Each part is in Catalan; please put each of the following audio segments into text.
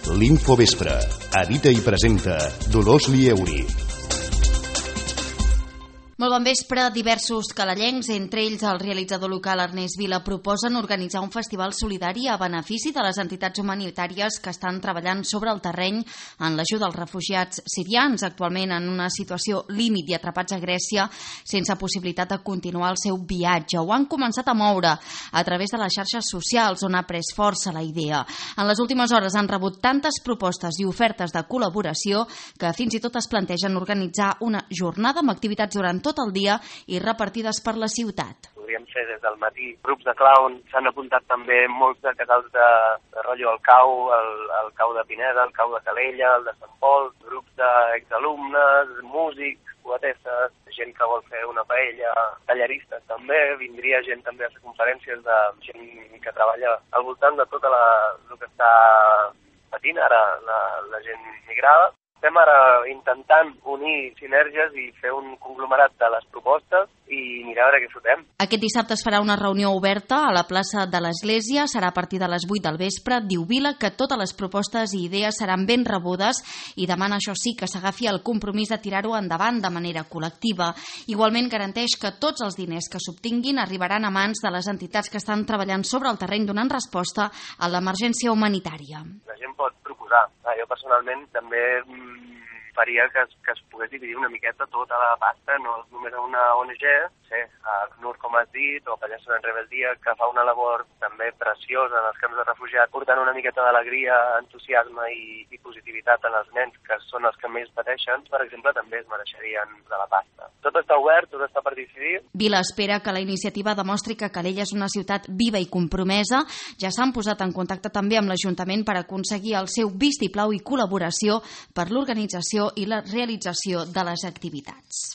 L'Infovespre. Edita i presenta Dolors Lieuri. Molt bon vespre. Diversos calellencs, entre ells el realitzador local Ernest Vila, proposen organitzar un festival solidari a benefici de les entitats humanitàries que estan treballant sobre el terreny en l'ajuda als refugiats sirians, actualment en una situació límit i atrapats a Grècia sense possibilitat de continuar el seu viatge. Ho han començat a moure a través de les xarxes socials, on ha pres força la idea. En les últimes hores han rebut tantes propostes i ofertes de col·laboració que fins i tot es plantegen organitzar una jornada amb activitats durant tot el dia i repartides per la ciutat. Podríem fer des del matí grups de clown, s'han apuntat també molts de casals de rotllo al cau, el cau de Pineda, el cau de Calella, el de Sant Pol, grups d'exalumnes, músics, poetesses, gent que vol fer una paella, tallaristes també, vindria gent també a fer conferències de gent que treballa al voltant de tot el que està patint ara la gent migrada. Estem ara intentant unir sinergies i fer un conglomerat de les propostes i mirar a veure què fotem. Aquest dissabte es farà una reunió oberta a la plaça de l'Església, serà a partir de les 8 del vespre. Diu Vila que totes les propostes i idees seran ben rebudes i demana, això sí, que s'agafi el compromís de tirar-ho endavant de manera col·lectiva. Igualment garanteix que tots els diners que s'obtinguin arribaran a mans de les entitats que estan treballant sobre el terreny donant resposta a l'emergència humanitària. La gent pot proposar. Jo personalment també faria que es pogués dividir una miqueta tota la pasta, no només a una ONG, a ACNUR, com has dit, o Pallasso en Rebeldia, que fa una labor també preciosa en els camps de refugiats, portant una miqueta d'alegria, entusiasme i positivitat en els nens, que són els que més pateixen, per exemple, també es mereixerien de la pasta. Tot està obert, tot està per decidir. Vila espera que la iniciativa demostri que Calella és una ciutat viva i compromesa. Ja s'han posat en contacte també amb l'Ajuntament per aconseguir el seu vistiplau i col·laboració per l'organització i la realització de les activitats.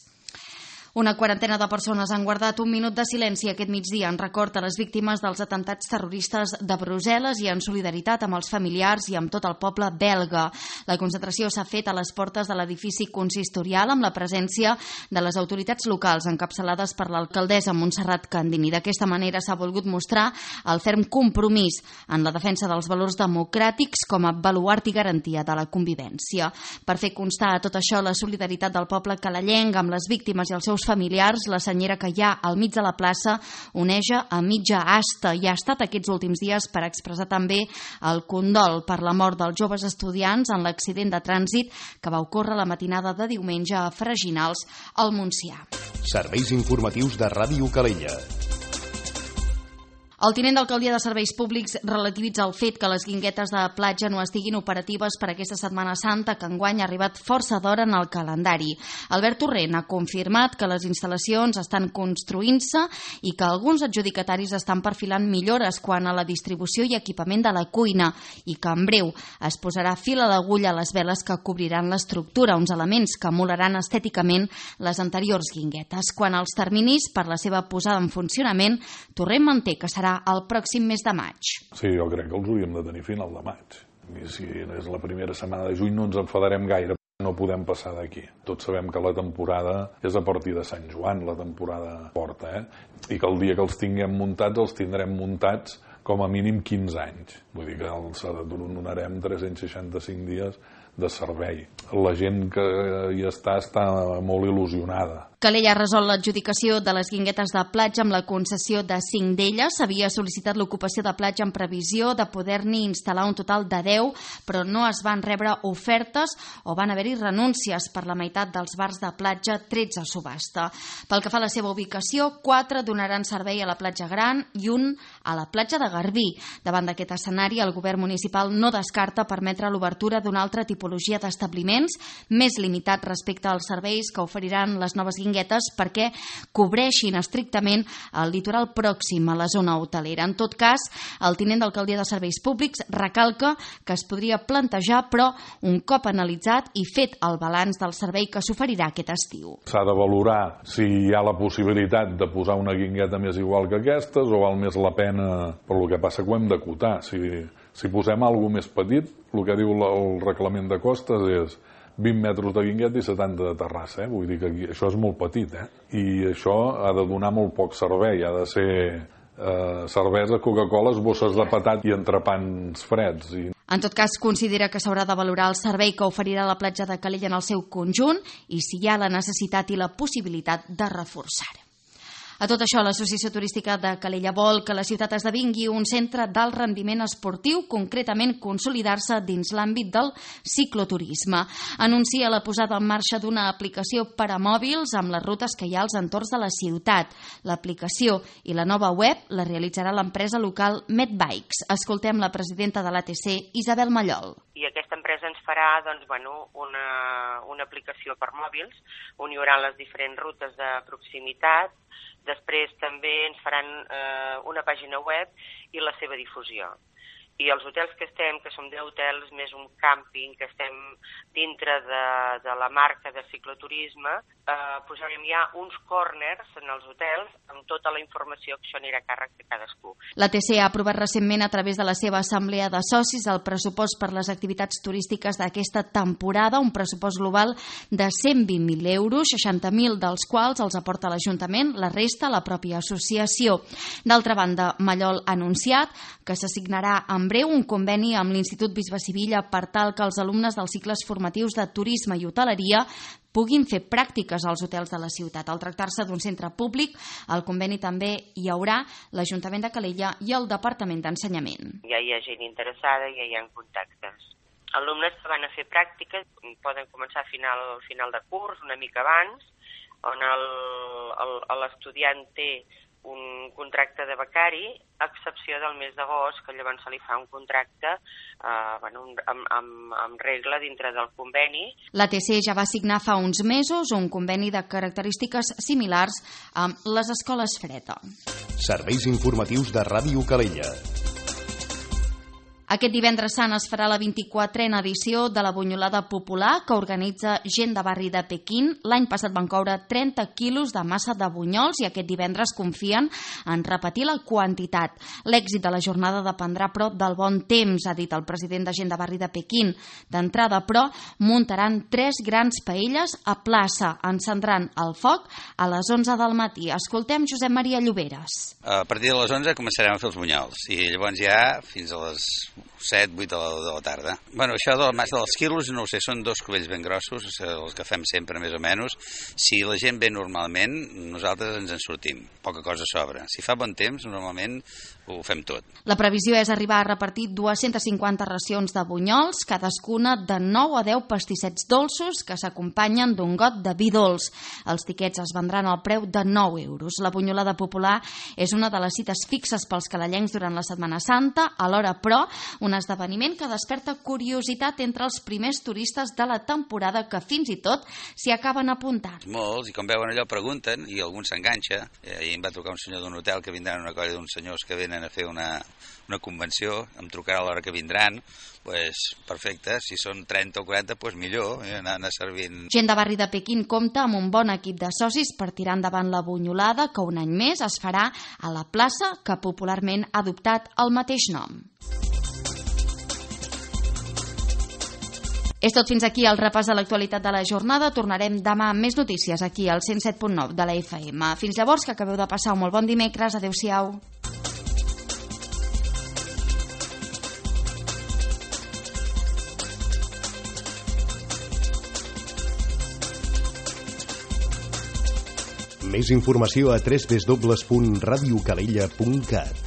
Una quarantena de persones han guardat un minut de silenci aquest migdia en record a les víctimes dels atemptats terroristes de Brussel·les i en solidaritat amb els familiars i amb tot el poble belga. La concentració s'ha fet a les portes de l'edifici consistorial amb la presència de les autoritats locals encapçalades per l'alcaldessa Montserrat Candini. D'aquesta manera s'ha volgut mostrar el ferm compromís en la defensa dels valors democràtics com a baluart i garantia de la convivència. Per fer constar a tot això la solidaritat del poble calellenc amb les víctimes i els seus familiars, la senyera que hi ha al mig de la plaça oneja a mitja asta i ha estat aquests últims dies per expressar també el condol per la mort dels joves estudiants en l'accident de trànsit que va ocórrer la matinada de diumenge a Freginals, al Montsià. Serveis informatius de Ràdio Calella. El tinent d'alcaldia de Serveis Públics relativitza el fet que les guinguetes de platja no estiguin operatives per aquesta Setmana Santa, que enguany ha arribat força d'hora en el calendari. Albert Torrent ha confirmat que les instal·lacions estan construint-se i que alguns adjudicataris estan perfilant millores quant a la distribució i equipament de la cuina i que en breu es posarà fil a l'agulla a les veles que cobriran l'estructura, uns elements que emularan estèticament les anteriors guinguetes. Quant als terminis per la seva posada en funcionament, Torrent manté que serà el pròxim mes de maig. Sí, jo crec que els hauríem de tenir final de maig. I si és la primera setmana de juny no ens enfadarem gaire, no podem passar d'aquí. Tots sabem que la temporada és a partir de Sant Joan, la temporada forta, i que el dia que els tinguem muntats, els tindrem muntats com a mínim 15 anys. Vull dir que els donarem 365 dies de servei. La gent que hi està molt il·lusionada. Calella ha resolt l'adjudicació de les guinguetes de platja amb la concessió de 5 d'elles. S'havia sol·licitat l'ocupació de platja en previsió de poder-n'hi instal·lar un total de 10, però no es van rebre ofertes o van haver-hi renúncies per la meitat dels bars de platja trets a subhasta. Pel que fa a la seva ubicació, 4 donaran servei a la platja Gran i un a la platja de Garbí. Davant d'aquest escenari, el govern municipal no descarta permetre l'obertura d'una altra tipologia d'establiments més limitat respecte als serveis que oferiran les noves guinguetes perquè cobreixin estrictament el litoral pròxim a la zona hotelera. En tot cas, el tinent d'alcaldia de Serveis Públics recalca que es podria plantejar, però un cop analitzat i fet el balanç del servei que s'oferirà aquest estiu. S'ha de valorar si hi ha la possibilitat de posar una guingueta més igual que aquestes o val més la pena, per lo que passa que ho hem d'acotar. Si posem alguna més petit, el que diu el reglament de costes és 20 metres de guingueta i 70 de terrassa, Vull dir que això és molt petit, I això ha de donar molt poc servei, ha de ser cervesa, Coca-Coles, bosses de patat i entrepans freds. En tot cas, considera que s'haurà de valorar el servei que oferirà la platja de Calella en el seu conjunt i si hi ha la necessitat i la possibilitat de reforçar. A tot això, l'Associació Turística de Calella vol que la ciutat esdevingui un centre d'alt rendiment esportiu, concretament consolidar-se dins l'àmbit del cicloturisme. Anuncia la posada en marxa d'una aplicació per a mòbils amb les rutes que hi ha als entorns de la ciutat. L'aplicació i la nova web la realitzarà l'empresa local Medbikes. Escoltem la presidenta de l'ATC, Isabel Mallol. I aquesta empresa ens farà una aplicació per mòbils on hi haurà les diferents rutes de proximitat. Després també ens faran una pàgina web i la seva difusió. I els hotels que estem, que som 10 hotels més un càmping, que estem dintre de la marca de cicloturisme, posarem ja uns corners en els hotels amb tota la informació que això anirà a càrrec de cadascú. L'ATC ha aprovat recentment a través de la seva assemblea de socis el pressupost per les activitats turístiques d'aquesta temporada, un pressupost global de 120.000 euros, 60.000 dels quals els aporta l'Ajuntament, la resta la pròpia associació. D'altra banda, Mallol ha anunciat que s'assignarà en breu un conveni amb l'Institut Bisbe Sivilla per tal que els alumnes dels cicles formatius de turisme i hoteleria puguin fer pràctiques als hotels de la ciutat. Al tractar-se d'un centre públic, al conveni també hi haurà l'Ajuntament de Calella i el Departament d'Ensenyament. Ja hi ha gent interessada, ja hi ha contactes. Alumnes que van a fer pràctiques poden començar a final de curs, una mica abans, on l'estudiant té un contracte de becari, a excepció del mes d'agost, que llavors se li fa un contracte amb regla dintre del conveni. L'ATC ja va signar fa uns mesos un conveni de característiques similars amb les escoles Freda. Serveis informatius de Ràdio Calella. Aquest divendres sant es farà la 24a edició de la Bunyolada Popular que organitza gent de barri de Pequín. L'any passat van coure 30 quilos de massa de bunyols i aquest divendres confien en repetir la quantitat. L'èxit de la jornada dependrà, però, del bon temps, ha dit el president de gent de barri de Pequín. D'entrada, però, muntaran 3 grans paelles a plaça. Encendran el foc a les 11 del matí. Escoltem Josep Maria Lloberes. A partir de les 11 començarem a fer els bunyols i llavors ja fins a les 7, 8 de la tarda. Bueno, això de la massa dels quilos, no ho sé, són 2 cubells ben grossos, els que fem sempre més o menys. Si la gent ve normalment, nosaltres ens en sortim. Poca cosa sobra. Si fa bon temps, normalment ho fem tot. La previsió és arribar a repartir 250 racions de bunyols, cadascuna de 9 a 10 pastissets dolços que s'acompanyen d'un got de vi dolç. Els tiquets es vendran al preu de 9 euros. La Bunyolada Popular és una de les cites fixes pels calellencs durant la Setmana Santa, alhora, però, un esdeveniment que desperta curiositat entre els primers turistes de la temporada que fins i tot s'hi acaben apuntant. Molts, i com veuen allò pregunten i algun s'enganxa. Ahir em va trucar un senyor d'un hotel que vindran una colla d'uns senyors que venen a fer una convenció, em trucarà a l'hora que vindran, doncs perfecte, si són 30 o 40, doncs millor, anar servint. Gent de barri de Pequín compta amb un bon equip de socis per tirar endavant la Bunyolada, que un any més es farà a la plaça que popularment ha adoptat el mateix nom. És tot fins aquí el repàs de l'actualitat de la jornada. Tornarem demà amb més notícies aquí al 107.9 de la FM. Fins llavors, que acabeu de passar un molt bon dimecres. Adéu-siau. Més informació a www.radiocalella.cat.